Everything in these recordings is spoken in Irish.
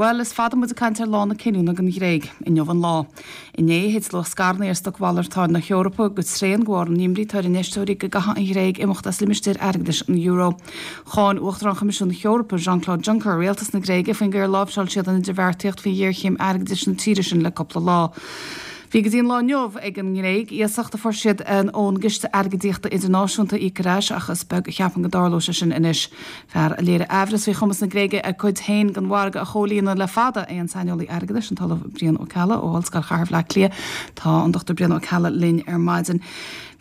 Bhuel, is fada muid ag caint ar lá na cinniúna don Ghréig. Inniu an lá. Inné, thit luach scaireanna ar stocmhalartáin na hEorpa go tréan de bharr an imní atá ar infheisteoirí go gcaithfidh an Ghréig imeacht as limistéar airgeadais an euro. Cháin Uachtarán Choimisiún na hEorpa, Jean-Claude Juncker, rialtas na Gréige faoin gcaoi ar láimhseáil siad an idirbheartaíocht faoi ghéarchéim airgeadais na tíre sin le cúpla lá. Bhí go dtí an lá inniu ag an nGréig iasacht a fuair siad ón gCiste Airgeadaíochta Idirnáisiúnta a íoc ar ais ach is beag a cheapann go dtarlóidh sé sin anois. Fear a léirigh aimhreas faoi chumas na Gréige a cuid féin den mhargadh a chomhlíonadh le fada é an saineolaí airgeadais, an tOllamh Brian Ó Ceallaigh ó Ollscoil Chathair Bhaile Átha Cliath. Tá an Dr Brian Ó Ceallaigh linn ar maidin.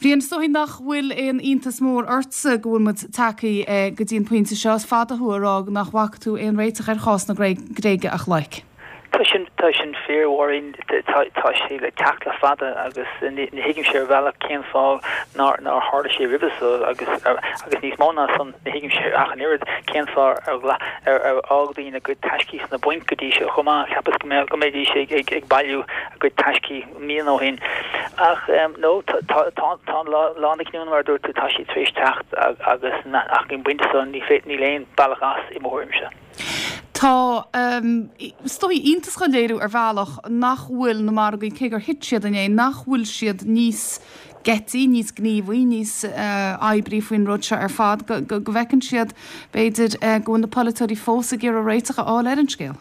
Bhriain, is dóigh nach bhfuil aon iontas mór ortsa go bhfuil muid tagtha go dtí an pointe seo. Is fada thú ag rá nach bhfaca tú aon réiteach ar chás na Gréige ach loic. Tá sin, tá sin fíor, a Mháirín. Tá, tá sé le teacht le fada agus ní, ní thuigimse ar bhealach cén fáth nár, nár tharla sé roimhe so agus, agus níos mó ná san, ní thuigimse ach an oiread cén fáth ar ghlac, ar, ar fhág daoine a gcuid taiscí sna bainc go dtí seo chomh maith. Cheapas go mbeadh, go mbeidís ag, ag, ag bailiú a gcuid taiscí míonna ó shin. Ach, no, tá, tá, tá, tá an lá, lá na cinniúna mar a dúirt tú, tá sé tar éis teacht agus, ach ag an bpointe so ní féidir, níl aon bealach as i mo thuairimse. Tá, is dóigh, iontas á léiriú ar bhealach nach bhfuil na margaí, cé gur thit siad inné, nach bhfuil siad níos geití, níos gníomhaí, níos oibrí faoin rud seo ar fad, go bhfeiceann siad, b'fhéidir, go bhfuil na polaiteoirí fós ag iarraidh réiteach a fháil ar an scéal.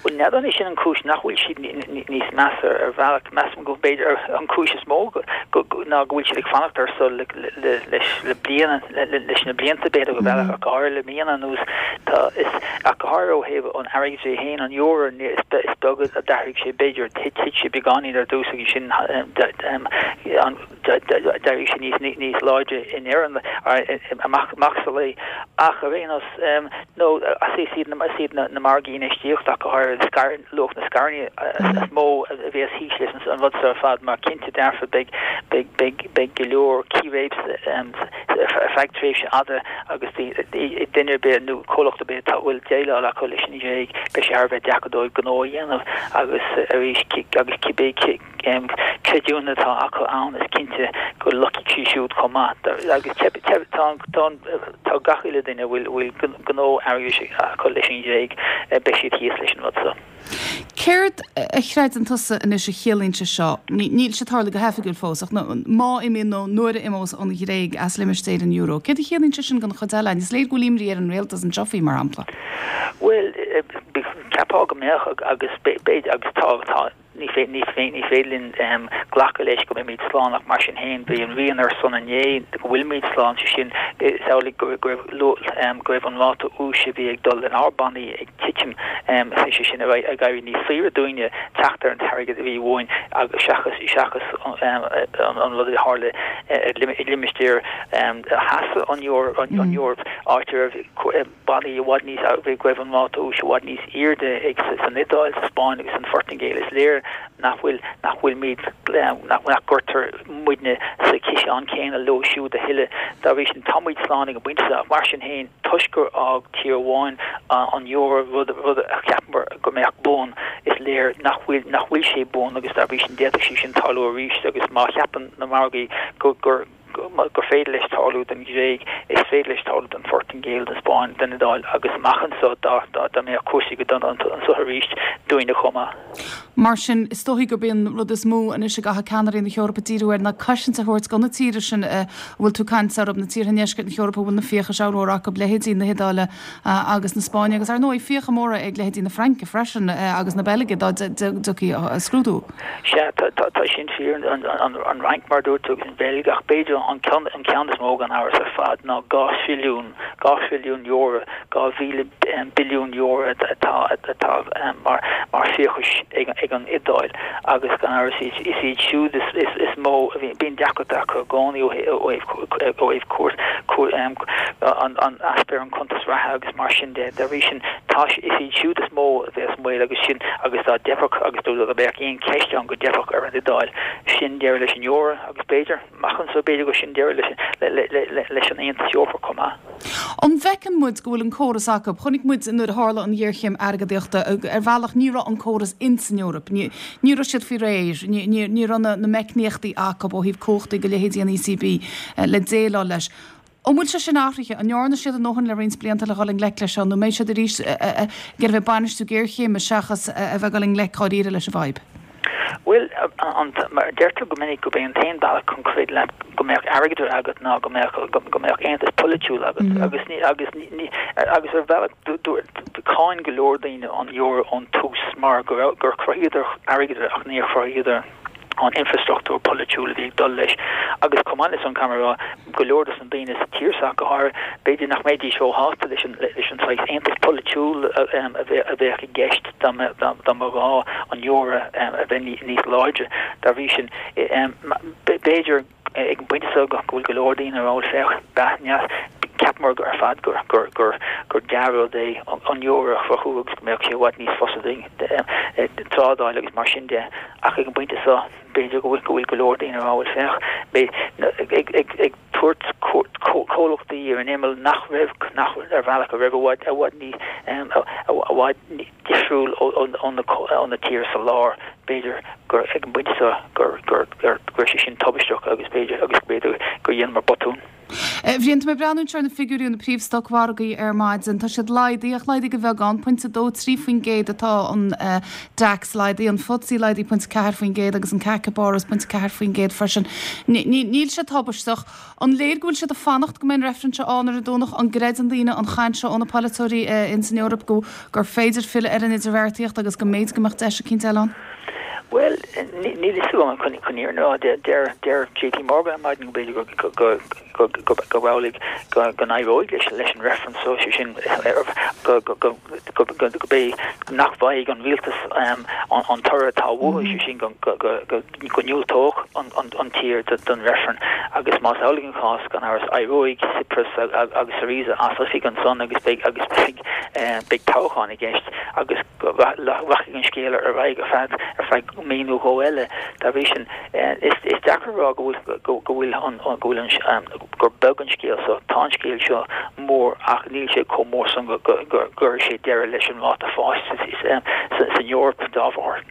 Bhuel, n'fheadar an é sin an cúis nach bhfuil siad níos measa ar bhealach. Measaim go mb'fhéidir an cúis is mó ná go bhfuil siad ag fanacht air so leis le bliana, leis na blianta b'fhéidir go bealach ach go háirithe le míonna anuas. Tá is ach go háirithe ó thaobh an airgeadra é féin, an euro, is beag a d'athraigh sé b'fhéidir thit sé beagáinín ar dtús agus sin an d'éirigh sé níos níos láidre i ndeireadh amach amach sa lae. Ach ar aon nós, nó is iad na is iad na margaí infheistíochta ach go háirithe scair luach na scaireanna is mó a bheas thíos leis an rud seo ar fad mar cinnte dearfa beidh beidh beidh beidh go leor círéib ar feadh tréimhse fhada agus duine ar bith nó comhlacht ar bith atá bhfuil déileáil acu leis an Ghréig beidh sé thar a bheith deacair dóibh gnó a dhéanamh agus arís agus cibé creidiúna atá acu ann, is cinnte go loicfidh sí siúd chomh maith. Agus tá gach uile duine a bhfuil gnó airgeadais acu leis an Ghréig, beidh siad thíos leis an rud seo. Céard a chreideann tusa anois a chiallaíonn sé seo? Níl sé tarlaithe go hoifigiúil fós, ach má imíonn nó nuair a imeos an Ghréig as limistéar an euro, céard a chiallaíonn sé sin don chuid eile? Is léir go bhfuil imní ar an rialtas anseo faoi, mar shampla. Bhuel, cheapfá go mbeadh agus b'fhéidir, agus tá, tá. Ní féidir linn glacadh leis go mbeimid slán ach mar sin féin bhí an rian ar son inné go bhfuilimid slán, sé sin is amhlaidh go raibh an ráta úis a bhí ag dul lenár bannaí ag titim, sé sin ag éirí níos saoire dúinne teacht ar an t-airgead a bhí uainn seachas seachas an rud a tharla i limistéar theas an Eoraip áit a raibh bannaí i bhfad níos, go raibh an ráta úis i bhfad níos airde ag san Iodáil, sa Spáinn agus san Phortaingéil. Is léir nach bhfuil, nach bhfuilimid, nach gcuirtear muidne sa chiseán céanna leo siúd a thuilleadh. Dá bhrí sin, tá muid slán ag an bpointe seo ach mar sin féin, toisc gur fhág tír amháin an euro, rud, rud a cheapamar go mbeadh buan, is léir nach bhfuil, nach bhfuil sé buan agus dá bhrí sin d'fhéadfadh sé sin tarlú arís agus má cheapann na margaí go, gur. gur féidir leis tarlú don Ghréig, is féidir leis tarlú don Phortaingéil, don Spáinn, don Iodáil agus amach anseo dá mbeadh cúrsaí go dona anseo arís, dúinne chomh maith. Mar sin, is dóichí gurb é an rud is mó anois a gcaithfidh ceannairí na hEorpa díriú air ná cosaint a thabhairt do na tíortha sin a bhfuil tú ag caint orthu, na tíortha i ndeisceart na hEorpa a bhfuil na fiachais ollmhóra acu, leithéidí na hIodáile agus na Spáinne agus, ar ndóigh, fiacha móra ag leithéidí na Fraince freisin agus na Beilge dá dtiocfaí scrúdú. Sea, tá sin fíor, an Fhrainc, mar a dúirt tú, agus an Bheilg, ach b'fhéidir an ceann is mó gan amhras ar fad ná €2 thrilliún, €2 thrilliún, 2,000 billiún euro atá mar fiachais ag an Iodáil agus gan amhras is iad siúd is mó a bhíonn deacracht acu i gcónaí ó thaobh an easpa ar an cuntas reatha agus mar sin de. Dá bhrí sin, tá, is iad siúd is mó a bheas i mbaol agus sin agus dá dteipfeadh agus dá mbeadh aon cheist ann go dteipfeadh ar an Iodáil, sin deireadh leis an euro agus b'fhéidir, amach anseo, b'fhéidir gur sin deireadh leis an Aontas Eorpach chomh maith. An bhfeiceann muid go bhfuil an córas acu? Chonaic muid nuair a tharla an ghéarchéim airgeadaíochta, ar bhealach ní raibh an córas ins an Eoraip, ní raibh siad faoi réir, ní raibh na meicníochtaí acu ó thaobh cumhachtaí go leithéidí an ECB le déileáil leis. An bhfuil sé sin athraithe? An ndearna siad a ndóthain le roinnt blianta le dhul i ngleic leis seo nó an mbeidh siad arís ag iarraidh a bheith ag bainistiú géarchéime seachas a bheith ag dul i ngleic dháiríre leis an bhfadhb? Bhuel, mar deirtear go minic gurb é an t-aon bealach chun troid leat go mbeadh airgeadra agat ná go mbeadh go mbeadh aontas polaitiúil agat agus ní agus ní agus ar bhealach cháin go leor daoine an euro ón tús mar go raibh gur chruthaíodar airgeadra ach níor chruthaíodar an infreastruchtúr polaitiúil a bhí ag dul leis agus chomh maith leis san caithfidh mé a rá go leor dos na daoine sa tír seo go háirithe b'fhéidir nach mbeidís róshásta leis an leis an saghas aontas polaitiúil a bheadh i gceist dá mba ghá an euro a bheith níos láidre. Dá bhrí sin b'fhéidir ag an bpointe seo go bhfuil go leor daoine ag rá bhuel féach cheapamar ar fad gur gur gur gur dea-rud é an euro a chruthú agus go mbeadh sé i bhfad níos fusa dúinn trádáil agus mar sin de. Ach ag an bpointe seo, b'fhéidir go bhfuil go bhfuil go leor daoine ag rá, bhuel féach, ag ag ag tabhairt comhlachtaí ar an imeall nach raibh, nach ar bhealach a raibh i bhfad i bhfad níos i bhfad difriúil ó ó na ó na tíortha sa lár, b'fhéidir gur ag an bpointe seo gur gur gur go raibh sé sin tubaisteach agus b'fhéidir agus b'fhéidir gur dheineamar botún. A Bhriain, tá mé ag breathnú anseo ar na figiúirí ó na príomh-stocmhargaí ar maidin. Tá siad laghdaithe, ach laghdaithe de bheagán. Pointe 2, 3% atá an DAX laghdaithe, an FTSE laghdaithe pointe 4% agus an CAC i bPáras pointe 4% freisin. Níl sé tubaisteach. An léir go bhfuil siad ag fanacht go mbeidh an reifreann seo ann ar an Domhnach? An gcreideann daoine an chaint seo ó na polaiteoirí ins an Eoraip go gur féidir filleadh ar an idirbheartaíocht agus go mb'fhéidir go mbeadh deis eicínt eile ann? Bhuel, níl fhios agam chun an fhírinne a rá. Deir JP Morgan ar maidin go mb'fhéidir go amhlaidh go n-éireoidh leis an reifreann so, sé sin go mbeidh, nach bhfaighidh an rialtas an toradh atá uathu, sé sin go ndiúltódh an tír don reifreann. Agus más amhlaidh an cás, gan amhras, éireoidh Tsipras agus Syriza as oifig ansan agus beidh toghchán i gceist agus rachaidh an scéal ar aghaidh ar feadh ar feadh mí nó dhó eile. Dá bhrí sin, is deacair a rá go bhfuil go bhfuil an go bhfuil an gur beag an scéal seo. Tá an scéal seo mór ach níl sé chomh mór san go gcuirfidh sé deireadh leis an ráta fáis san Eoraip dá bharr.